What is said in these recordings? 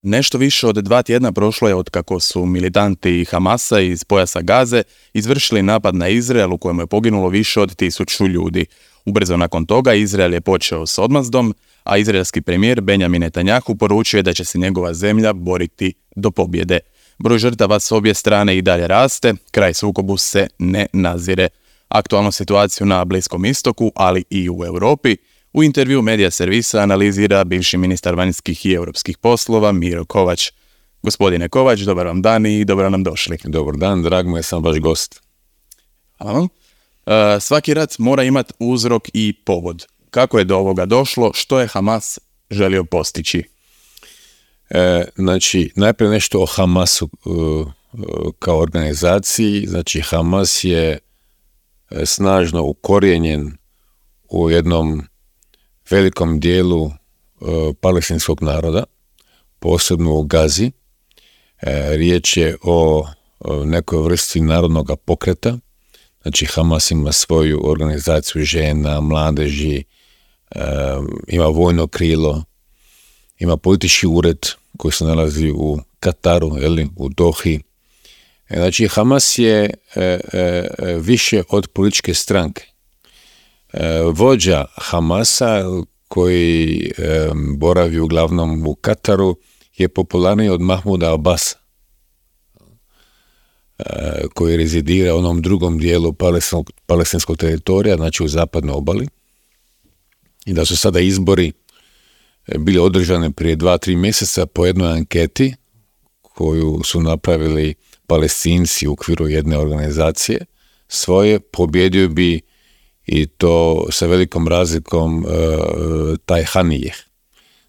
Nešto više od 2 tjedna prošlo je od kako su militanti Hamasa iz pojasa Gaze izvršili napad na Izrael u kojem je poginulo više od 1000 ljudi. Ubrzo nakon toga Izrael je počeo s odmazdom, a izraelski premijer Benjamin Netanjahu poručio je da će se njegova zemlja boriti do pobjede. Broj žrtava s obje strane i dalje raste, kraj sukobu se ne nazire. Aktualnu situaciju na Bliskom istoku, ali i u Europi, u intervju Medija servisa analizira bivši ministar vanjskih i europskih poslova Miro Kovač. Gospodine Kovač, dobar vam dan i dobro nam došli. Dobar dan, drag mu je, sam vaš gost. Hvala. Svaki rat mora imati uzrok i povod. Kako je do ovoga došlo? Što je Hamas želio postići? Najprije nešto o Hamasu kao organizaciji. Znači, Hamas je snažno ukorijenjen u jednom velikom dijelu palestinskog naroda, posebno u Gazi. Riječ je o nekoj vrsti narodnog pokreta. Znači, Hamas ima svoju organizaciju žena, mladeži, ima vojno krilo, ima politički ured koji se nalazi u Kataru, u Dohi. Znači, Hamas je više od političke stranke. Vođa Hamasa, koji boravi uglavnom u Kataru, je popularniji od Mahmuda Abasa, koji rezidira u onom drugom dijelu palestinskog teritorija, znači u zapadnoj obali. I da su sada izbori bili održani prije 2-3 mjeseca po jednoj anketi koju su napravili Palestinci u okviru jedne organizacije svoje, pobjedio bi, i to sa velikom razlikom, taj Hanijeh,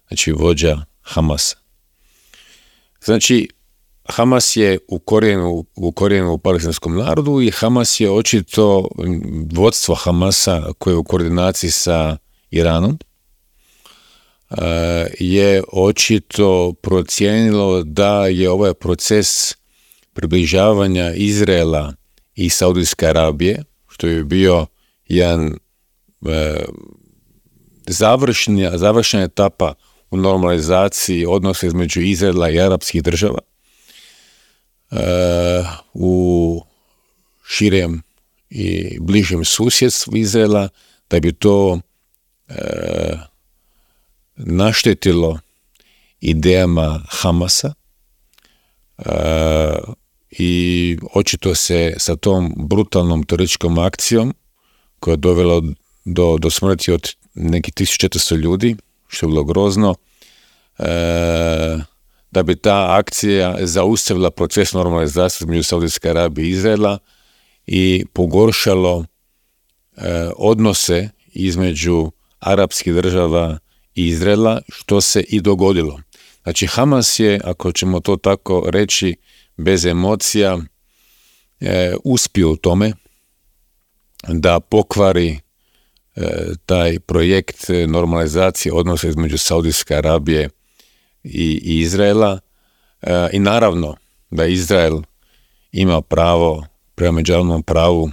znači vođa Hamasa. Znači, Hamas je ukorijen u palestinskom narodu i Hamas je očito, vodstvo Hamasa koje je u koordinaciji sa Iranom, je očito procijenilo da je ovaj proces približavanja Izraela i Saudijske Arabije, što je bio jedan završna etapa u normalizaciji odnosa između Izraela i arapskih država, u širem i bližem susjedstvu Izraela, da bi to naštetilo idejama Hamasa, i očito se sa tom brutalnom terorističkom akcijom koja je dovela do smrti od nekih 1400 ljudi, što je bilo grozno, da bi ta akcija zaustavila proces normalizacije između Saudijske Arabije i Izraela i pogoršalo odnose između arapskih država i Izraela, što se i dogodilo. Znači, Hamas je, ako ćemo to tako reći, bez emocija, uspio u tome da pokvari taj projekt normalizacije odnosa između Saudijske Arabije i Izraela, i naravno da Izrael ima pravo prema međunarodnom pravu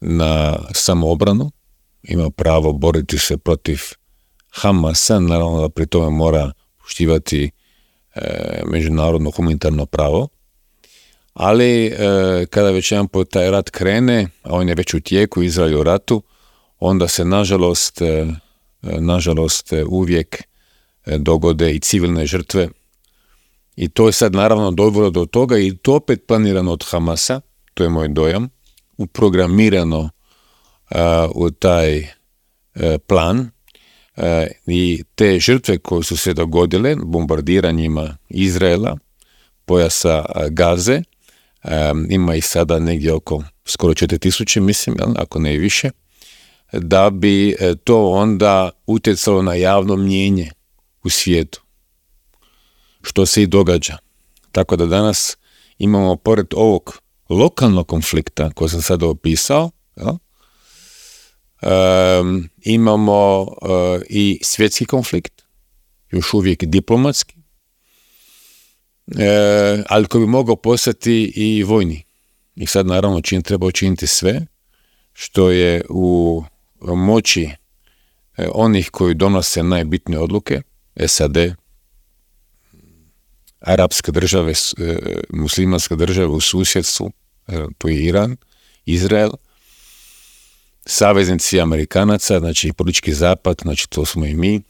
na samoobranu, ima pravo boriti se protiv Hamasa, naravno da pri tome mora poštivati međunarodno humanitarno pravo. Ali kada već jedan put taj rat krene, a on je već u tijeku, Izrael je u ratu, onda se nažalost uvijek dogode i civilne žrtve. I to je sad naravno dovelo do toga, i to opet planirano od Hamasa, to je moj dojam, uprogramirano u taj plan, i te žrtve koje su se dogodile bombardiranjima Izraela, pojasa Gaze, ima ih sada negdje oko skoro 4000, mislim, ako ne i više, da bi to onda utjecalo na javno mnijenje u svijetu, što se i događa. Tako da danas imamo, pored ovog lokalnog konflikta koji sam sada opisao, imamo i svjetski konflikt, još uvijek diplomatski, ali koji bi mogao postati i vojni. I sad naravno treba učiniti sve što je u moći onih koji donose najbitnije odluke, SAD, arapske države, muslimanske države u susjedstvu, to je Iran, Izrael, saveznici Amerikanaca, znači politički zapad, znači to smo i mi,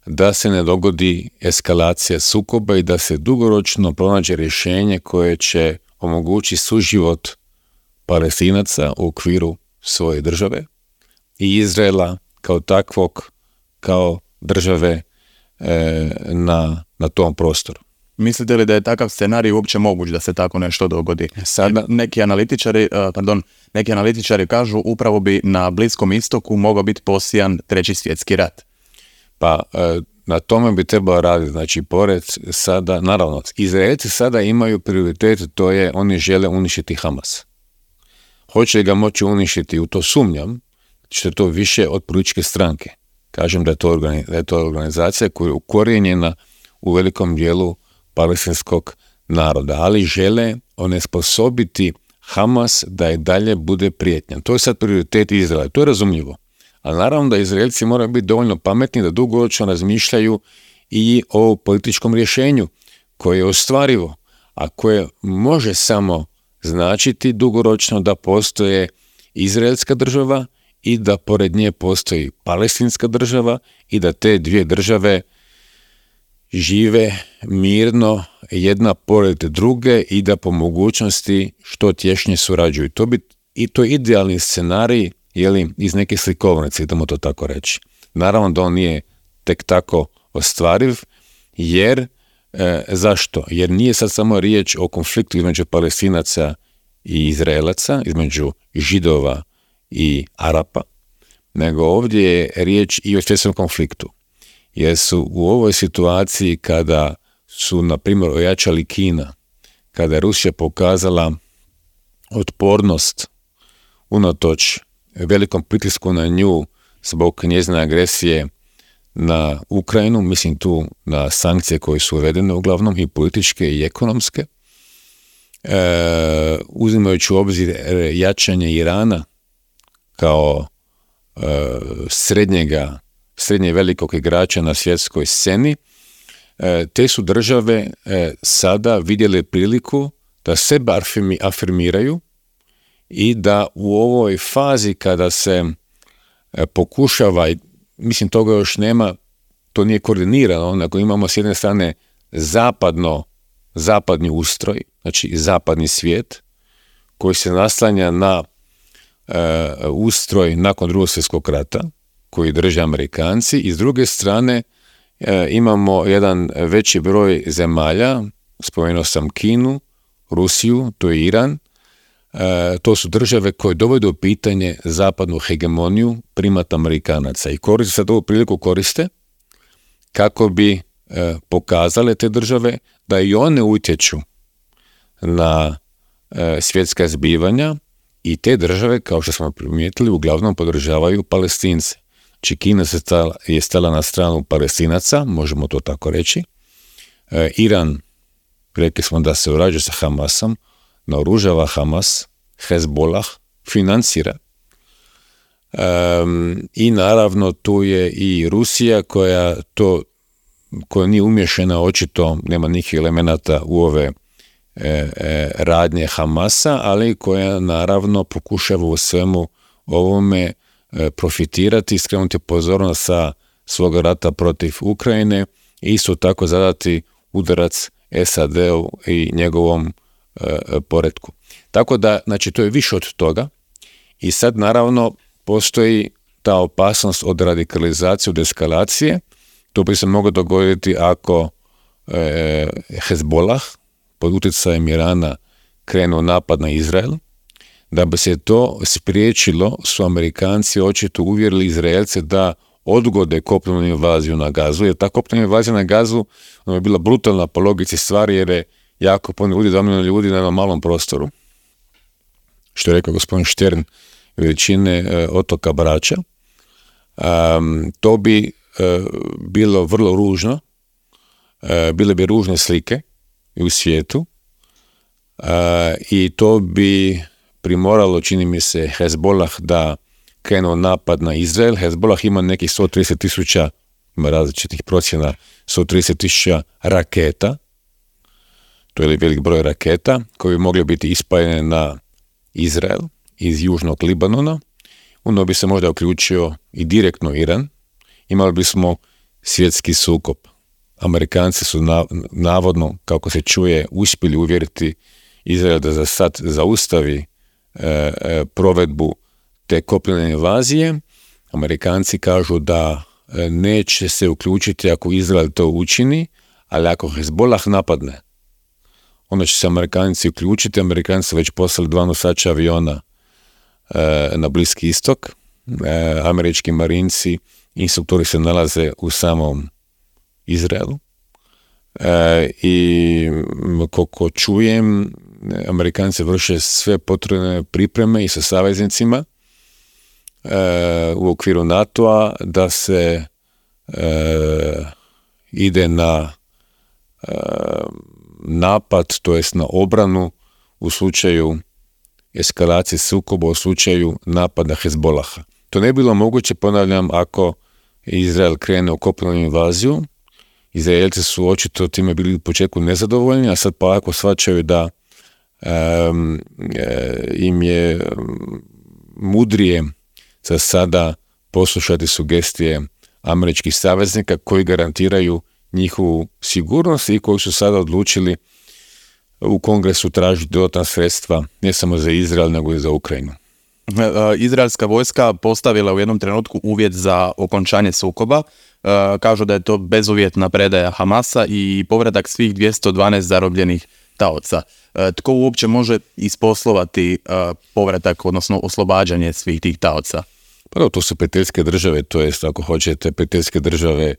da se ne dogodi eskalacija sukoba i da se dugoročno pronađe rješenje koje će omogućiti suživot Palestinaca u okviru svoje države i Izraela kao takvog, kao države na tom prostoru. Mislite li da je takav scenarij uopće moguć da se tako nešto dogodi? Sada neki analitičari kažu upravo bi na Bliskom istoku mogao biti posijan treći svjetski rat. Pa na tome bi trebalo raditi, znači pored sada, naravno, Izraelci sada imaju prioritet, to je oni žele uništiti Hamas. Hoće li ga moći uništiti, u to sumnjam, što je to više od političke stranke. Kažem da je to organizacija koja je ukorijenjena u velikom dijelu palestinskog naroda, ali žele onesposobiti Hamas da i dalje bude prijetnja. To je sad prioritet Izraela, to je razumljivo. Ali naravno da Izraelci moraju biti dovoljno pametni da dugoročno razmišljaju i o političkom rješenju koje je ostvarivo, a koje može samo značiti dugoročno da postoje izraelska država i da pored nje postoji palestinska država i da te dvije države žive mirno jedna pored druge i da po mogućnosti što tješnje surađuju. To je idealni scenarij, iz neke slikovnice, idemo to tako reći. Naravno da on nije tek tako ostvariv, jer zašto? Jer nije sad samo riječ o konfliktu između Palestinaca i Izraelaca, između Židova i Arapa, nego ovdje je riječ i o svjetskom konfliktu. Jer su u ovoj situaciji kada su, na primjer, ojačali Kina, kada je Rusija pokazala otpornost unatoč velikom pritisku na nju zbog njezine agresije na Ukrajinu, mislim tu na sankcije koje su uvedene uglavnom i političke i ekonomske, uzimajući u obzir jačanje Irana kao srednje velikog igrača na svjetskoj sceni, te su države sada vidjele priliku da sebe afirmiraju i da u ovoj fazi kada se pokušava, mislim toga još nema, to nije koordinirano, nego imamo s jedne strane zapadni ustroj, znači zapadni svijet koji se naslanja na ustroj nakon Drugog svjetskog rata koji drže Amerikanci i s druge strane imamo jedan veći broj zemalja, spomenuo sam Kinu, Rusiju, to je Iran, to su države koje dovode u pitanje zapadnu hegemoniju primat Amerikanaca i sad ovu priliku koriste kako bi pokazale te države da i one utječu na svjetska zbivanja i te države, kao što smo primijetili, uglavnom podržavaju Palestince. Znači Kina je stala na stranu Palestinaca, možemo to tako reći. Iran, rekli smo da se urađuje sa Hamasom, naoružava Hamas, Hezbollah, financira. I naravno tu je i Rusija koja nije umješana, očito nema nikakvih elemenata u ove radnje Hamasa, ali koja naravno pokušava u svemu ovome profitirati i skrenuti pozornost sa svog rata protiv Ukrajine i isto tako zadati udarac SAD-u i njegovom poretku. Tako da, znači, to je više od toga i sad naravno postoji ta opasnost od radikalizacije, od eskalacije. To bi se moglo dogoditi ako Hezbollah pod utjecajem Irana krenuo napad na Izrael. Da bi se to spriječilo, su Amerikanci očito uvjerili Izraelce da odgode kopnenu invaziju na Gazu, jer ta kopnena invazija na Gazu je bila brutalna po logici stvari, jer je jako puno ljudi, 2 milijuna ljudi na jednom malom prostoru. Što je rekao gospodin Štern, veličine otoka Brača. To bi bilo vrlo ružno, bile bi ružne slike u svijetu i to bi primoralo, čini mi se, Hezbollah da krenuo napad na Izrael. Hezbollah ima nekih 130,000, ima različitih procjena, 130,000 raketa to je velik broj raketa koji bi mogli biti ispaljene na Izrael iz južnog Libanona. Onda bi se možda uključio i direktno Iran. Imali bismo svjetski sukob. Amerikanci su navodno, kako se čuje, uspjeli uvjeriti Izrael da za sad zaustavi provedbu te kopnene invazije. Amerikanci kažu da neće se uključiti ako Izrael to učini, ali ako Hezbollah napadne, onda će se Amerikanci uključiti. Amerikanci su već poslali 2 nosača aviona na Bliski istok. Američki marinci, instruktori se nalaze u samom Izraelu. I koliko čujem, Amerikanci vrše sve potrebne pripreme i sa saveznicima u okviru NATO-a da se ide na napad, to jest na obranu u slučaju eskalacije sukoba, u slučaju napada Hezbollaha. To ne bi bilo moguće, ponavljam, ako Izrael krene u kopnenu invaziju. Izraelci su očito time bili u početku nezadovoljni, a sad polako shvaćaju da im je mudrije za sada poslušati sugestije američkih saveznika koji garantiraju njihovu sigurnost i koji su sada odlučili u Kongresu tražiti dodatna sredstva ne samo za Izrael, nego i za Ukrajinu. Izraelska vojska postavila u jednom trenutku uvjet za okončanje sukoba. Kažu da je to bezuvjetna predaja Hamasa i povratak svih 212 zarobljenih taoca. Tko uopće može isposlovati povratak, odnosno oslobađanje svih tih taoca? Prvo, to su prijateljske države, to jest ako hoćete prijateljske države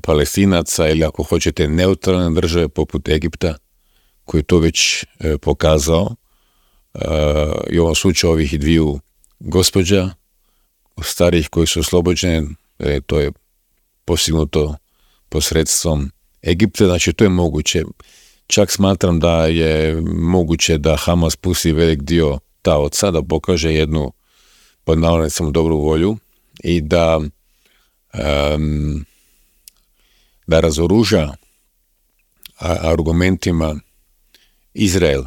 Palestinaca ili ako hoćete neutralne države poput Egipta, koji je to već pokazao. I u ovom slučaju ovih 2 gospođa starih koji su oslobođene, to je postignuto posredstvom Egipta, znači to je moguće. Čak smatram da je moguće da Hamas pusti velik dio taoca, da pokaže jednu pod navodnicima dobru volju i da razoruža argumentima Izrael,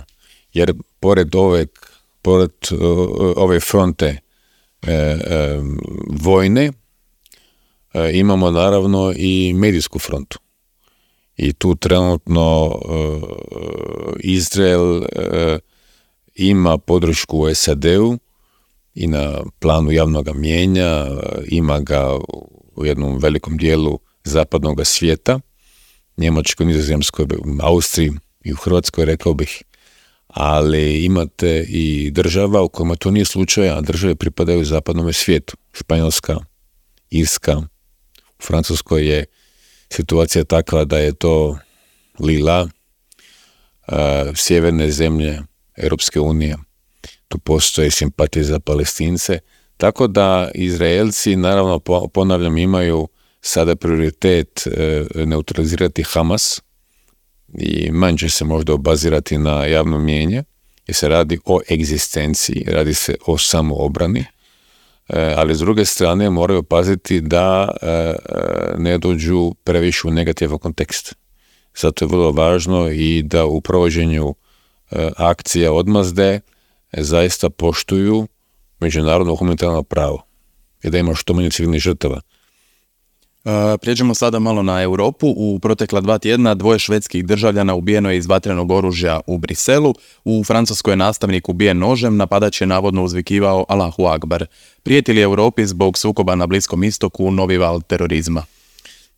jer pored ove fronte vojne imamo naravno i medijsku frontu. I tu trenutno Izrael ima podršku u SAD-u i na planu javnog mnijenja, ima ga u jednom velikom dijelu zapadnog svijeta, Njemačkoj, Nizozemskoj, Austriji i u Hrvatskoj, rekao bih. Ali imate i država u kojima to nije slučaj, a države pripadaju zapadnom svijetu. Španjolska, Irska, u Francuskoj je situacija takva da je to lila, sjeverne zemlje Europske unije, tu postoje simpatije za Palestince, tako da Izraelci, naravno, ponavljam, imaju sada prioritet neutralizirati Hamas i manje će se možda obazirati na javno mnijenje, jer se radi o egzistenciji, radi se o samoobrani, ali s druge strane moraju paziti da ne dođu previše u negativan kontekst. Zato je vrlo važno i da u provođenju akcija odmazde zaista poštuju međunarodno humanitarno pravo i da ima što manje civilnih žrtava. Prijeđemo sada malo na Europu. U protekla 2 tjedna 2 švedskih državljana ubijeno je iz vatrenog oružja u Briselu. U Francuskoj je nastavnik ubijen nožem, napadač je navodno uzvikivao Allahu Akbar. Prijeti li Europi zbog sukoba na Bliskom istoku novi val terorizma?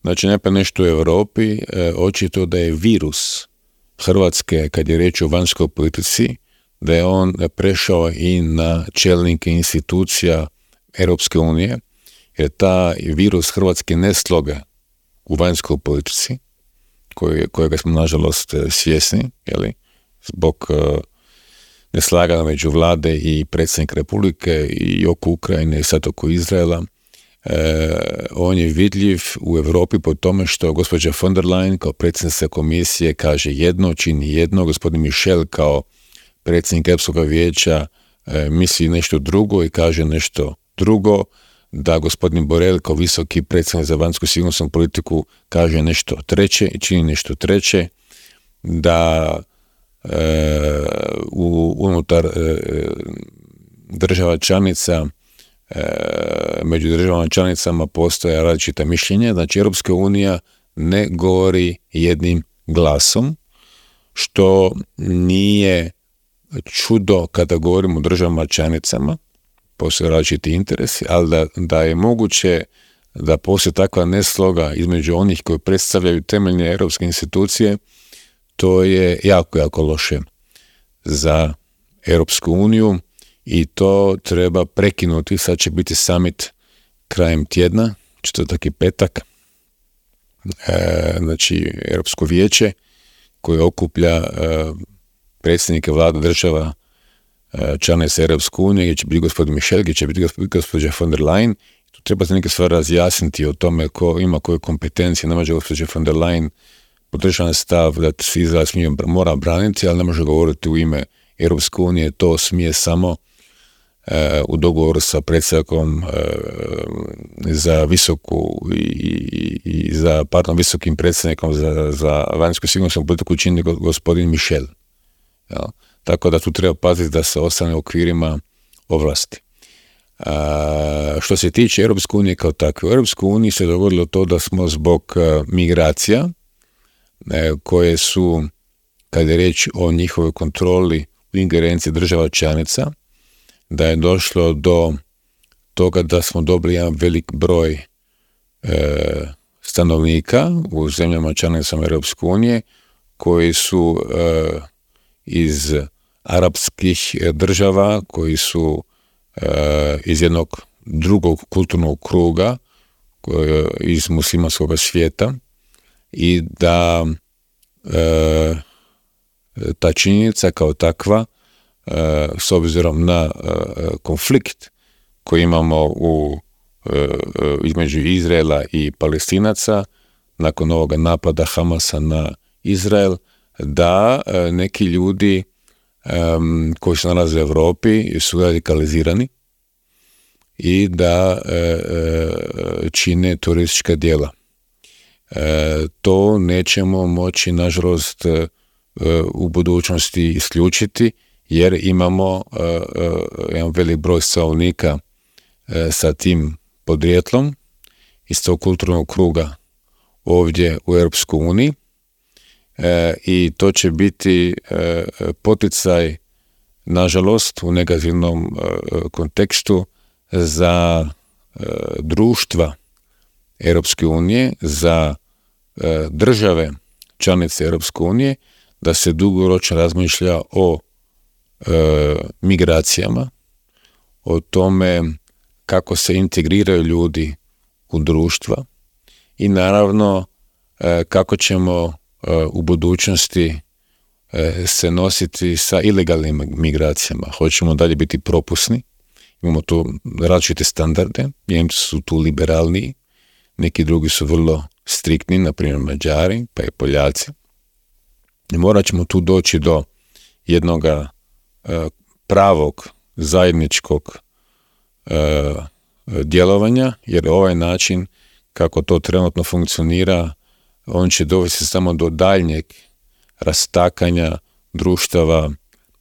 Znači, ne pa nešto u Europi, očito da je virus Hrvatske, kad je riječ o vanjskoj politici, da je on prešao i na čelnike institucija Europske unije, jer ta virus Hrvatske ne sloga u vanjskoj politici, kojega smo nažalost svjesni, zbog neslaganja među vlade i predsjednik Republike i oko Ukrajine i sad oko Izraela. On je vidljiv u Europi po tome što gospođa von der Leyen kao predsjednica komisije kaže jedno, čini jedno, gospodin Michel kao predsjednik Europskog vijeća misli nešto drugo i kaže nešto drugo, da gospodin Borrell kao visoki predsjednik za vanjsku sigurnosnu politiku kaže nešto treće i čini nešto treće, da unutar država članica, među državama članicama postoje različita mišljenja. Znači, Europska unija ne govori jednim glasom, što nije čudo kada govorimo o državama članicama, postoje različiti interesi, ali da je moguće da postoji takva nesloga između onih koji predstavljaju temeljne europske institucije, to je jako, jako loše za Europsku uniju i to treba prekinuti. Sad će biti summit krajem tjedna, četvrtak i petak, znači Europsko vijeće koje okuplja predsjednike vlada država članica Europske unije, gdje će biti gospodin Michel, gdje će biti gospođa von der Leyen. Tu treba se neke stvari razjasniti o tome ko ima koje kompetencije. Ne može gospođa von der Leyen podržan stav da se Izrael mora braniti, ali ne može govoriti u ime Europske unije. To smije samo u dogovoru sa predsjednikom za visoku i za visokim predsjednikom za vanjsku sigurnosnu politiku čini gospodin Michel. Ja. Tako da tu treba paziti da se ostane u okvirima ovlasti. Što se tiče Europske unije kao takve, u Europskoj uniji se dogodilo to da smo zbog migracija koje su, kad je riječ o njihovoj kontroli u ingerenciji država članica, da je došlo do toga da smo dobili jedan velik broj stanovnika u zemljama članicama Europske unije koji su iz arapskih država, koji su iz jednog drugog kulturnog kruga, iz muslimanskog svijeta, i da ta činjenica kao takva, s obzirom na konflikt koji imamo između Izraela i Palestinaca nakon ovoga napada Hamasa na Izrael, da neki ljudi koji se nalaze u Europi su radikalizirani i da čine teroristička djela. To nećemo moći, nažalost, u budućnosti isključiti, jer imamo jedan velik broj stanovnika sa tim podrijetlom iz tog kulturnog kruga ovdje u Europskoj uniji, i to će biti poticaj, nažalost, u negativnom kontekstu za društva Europske unije, za države članice Europske unije, da se dugoročno razmišlja o migracijama, o tome kako se integriraju ljudi u društva i naravno kako ćemo u budućnosti se nositi sa ilegalnim migracijama. Hoćemo dalje biti propusni, imamo tu različite standarde, Njemci su tu liberalniji, neki drugi su vrlo striktni, na primjer Mađari, pa i Poljaci. I morat ćemo tu doći do jednoga pravog zajedničkog djelovanja, jer ovaj način kako to trenutno funkcionira, on će dovesti samo do daljnjeg rastakanja društava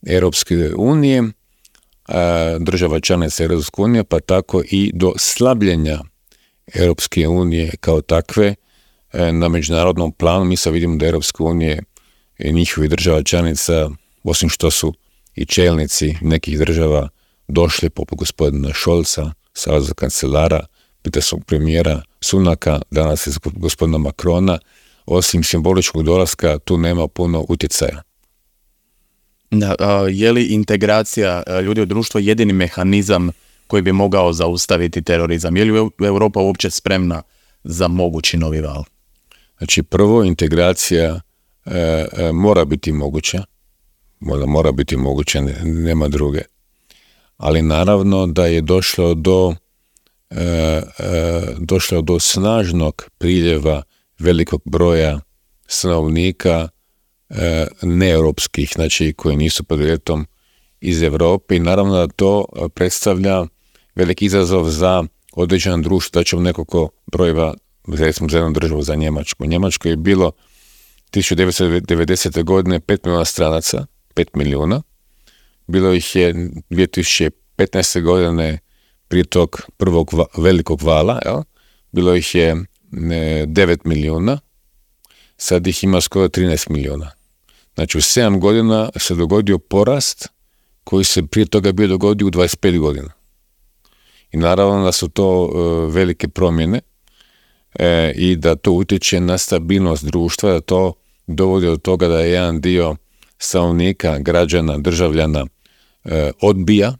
Europske unije, država članica Europske unije, pa tako i do slabljenja Europske unije kao takve na međunarodnom planu. Mi sad vidimo da Europske unije i njihovi država članica, osim što su i čelnici nekih država došli, poput gospodina Scholza, saveznog kancelara, britanskog premijera Sunaka, danas iz gospodina Macrona, osim simboličkog dolaska, tu nema puno utjecaja. Je li integracija ljudi u društvo jedini mehanizam koji bi mogao zaustaviti terorizam? Je li Europa uopće spremna za mogući novi val? Znači, prvo, integracija mora biti moguća, mora biti moguća, nema druge. Ali naravno da je došlo do snažnog priljeva velikog broja stanovnika neeuropskih, znači koji nisu podrijetlom iz Europe, i naravno da to predstavlja veliki izazov za određeno društvo. Da ćemo nekoliko brojeva, recimo za jednu državu, za Njemačku. U Njemačkoj je bilo 1990. godine 5 milijuna stranaca, 5 milijuna. Bilo ih je 2015. godine prije tog prvog velikog vala, jel? Bilo ih je 9 milijuna, sad ih ima skoro 13 milijuna. Znači u 7 godina se dogodio porast koji se prije toga bio dogodio u 25 godina. I naravno da su to velike promjene i da to utječe na stabilnost društva, da to dovodi do toga da je jedan dio stanovnika, građana, državljana odbija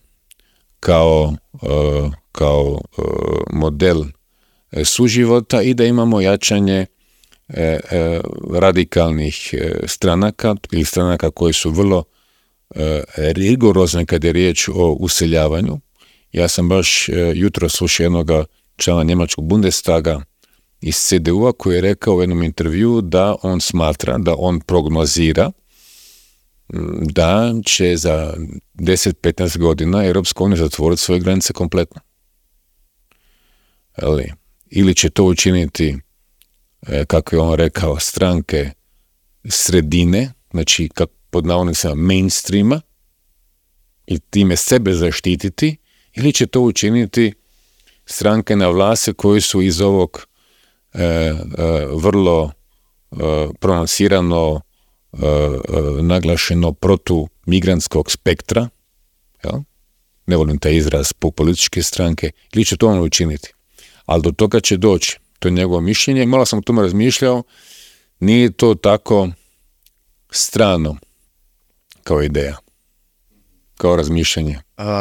kao model suživota i da imamo jačanje radikalnih stranaka ili stranaka koji su vrlo rigorozne kad je riječ o useljavanju. Ja sam baš jutro slušao jednog člana njemačkog Bundestaga iz CDU-a koji je rekao u jednom intervjuu da on smatra, da on prognozira da će za 10-15 godina Europska unija zatvoriti svoje granice kompletno. Ili će to učiniti, kako je on rekao, stranke sredine, znači pod navodnicima mainstreama, i time sebe zaštititi, ili će to učiniti stranke na vlasti koji su iz ovog vrlo pronansirano naglašeno protumigrantskog spektra, ja? Ne volim taj izraz, političke stranke, ili će to ono učiniti. Ali do toga će doći, to je njegovo mišljenje, malo sam o tome razmišljao, nije to tako strano kao ideja, kao razmišljanje.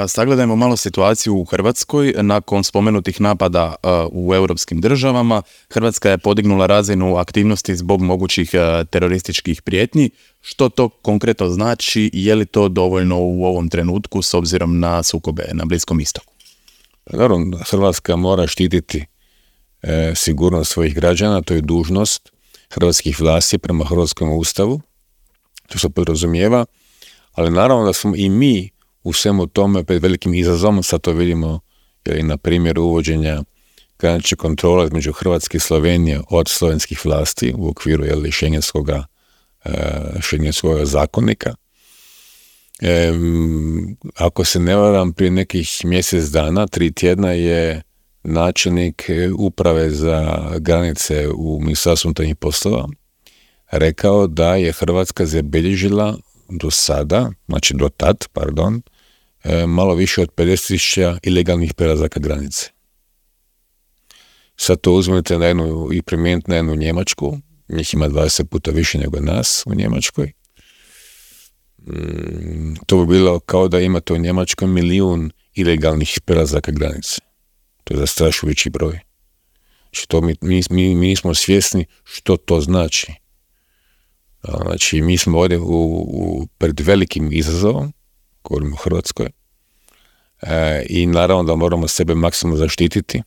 Sagledajmo malo situaciju u Hrvatskoj. Nakon spomenutih napada u europskim državama, Hrvatska je podignula razinu aktivnosti zbog mogućih terorističkih prijetnji. Što to konkretno znači? Je li to dovoljno u ovom trenutku s obzirom na sukobe na Bliskom istoku? Naravno, Hrvatska mora štititi sigurnost svojih građana, to je dužnost hrvatskih vlasti prema hrvatskom ustavu, to se podrazumijeva, ali naravno da smo i mi u svemu tome pred velikim izazovom, sad to vidimo na primjeru uvođenja granične kontrole između Hrvatske i Slovenije od slovenskih vlasti u okviru šengenskog zakonika. Ako se ne varam, prije nekih mjesec dana, 3 tjedna je načelnik uprave za granice u Ministarstvu unutarnjih poslova rekao da je Hrvatska zabilježila do tad, malo više od 50.000 ilegalnih prelazaka granice. Sad to uzmete i primijenite na jednu Njemačku, njih ima 20 puta više nego nas u Njemačkoj. To bi bilo kao da imate u Njemačkoj 1 milijun ilegalnih prelazaka granice. To je zastrašujući broj. Što mi nismo svjesni što to znači. Znači, mi smo ovdje pred velikim izazovom, govorimo o Hrvatskoj, i naravno da moramo sebe maksimalno zaštititi.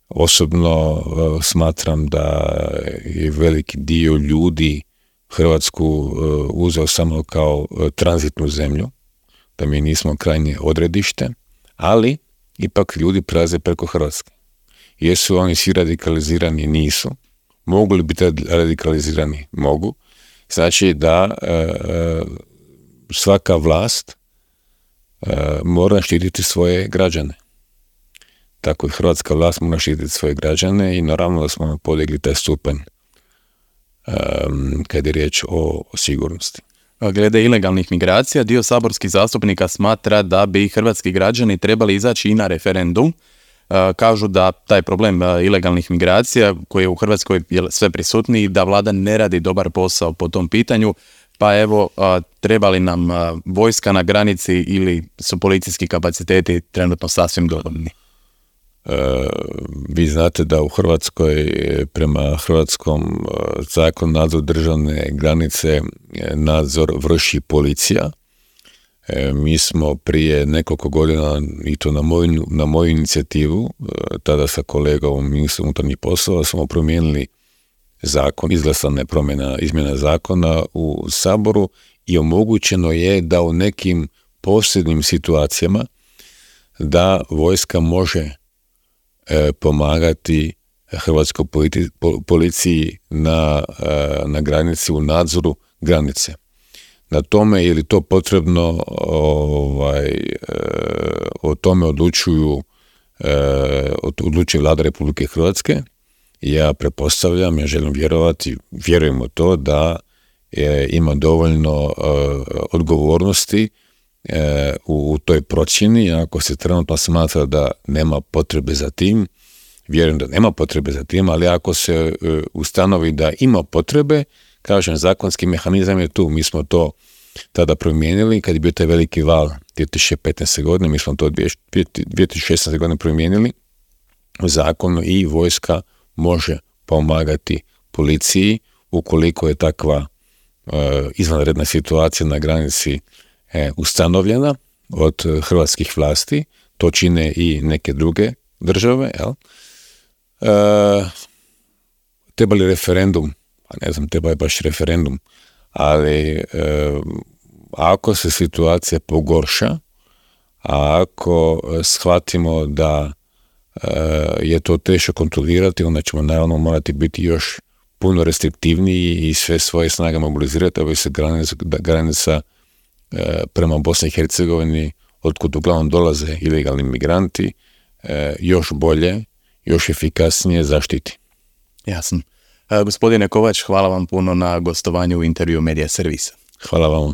Osobno smatram da je veliki dio ljudi Hrvatsku uzeo samo kao tranzitnu zemlju, da mi nismo krajnje odredište, ali ipak ljudi prelaze preko Hrvatske. Jesu oni svi radikalizirani? Nisu. Mogu li biti radikalizirani? Mogu. Znači da svaka vlast mora štititi svoje građane. Tako i hrvatska vlast mora štititi svoje građane i naravno da smo podigli taj stupanj kad je riječ o sigurnosti. Glede ilegalnih migracija, dio saborskih zastupnika smatra da bi hrvatski građani trebali izaći i na referendum. Kažu da taj problem ilegalnih migracija koji je u Hrvatskoj sve prisutniji, da vlada ne radi dobar posao po tom pitanju, pa evo, treba li nam vojska na granici ili su policijski kapaciteti trenutno sasvim dovoljni? Vi znate da u Hrvatskoj prema hrvatskom zakonu nadzor državne granice nadzor vrši policija. Mi smo prije nekoliko godina, i to na moju inicijativu, tada sa kolegom ministrom unutarnjih poslova, smo promijenili zakon, izglasana je izmjena zakona u Saboru i omogućeno je da u nekim posebnim situacijama da vojska može pomagati hrvatskoj policiji na granici, u nadzoru granice. Na tome je li to potrebno, o tome odlučuje Vlada Republike Hrvatske. Ja pretpostavljam, ja želim vjerovati, vjerujem u to da ima dovoljno odgovornosti u toj procjeni. Ako se trenutno smatra da nema potrebe za tim, vjerujem da nema potrebe za tim, ali ako se ustanovi da ima potrebe, kažem, zakonski mehanizam je tu. Mi smo to tada promijenili kad je bio taj veliki val 2015. godine, mi smo to 2016. godine promijenili u zakonu i vojska može pomagati policiji ukoliko je takva izvanredna situacija na granici ustanovljena od hrvatskih vlasti. To čine i neke druge države. Treba li referendum? Ne znam, treba je baš referendum, ali ako se situacija pogorša, a ako shvatimo da je to teško kontrolirati, onda ćemo naravno morati biti još puno restriktivniji i sve svoje snage mobilizirati, da se granica prema Bosni i Hercegovini, otkud uglavnom dolaze ilegalni migranti, još bolje, još efikasnije zaštiti. Jasno. Gospodine Kovač, hvala vam puno na gostovanju u intervju Medija Servisa. Hvala vam.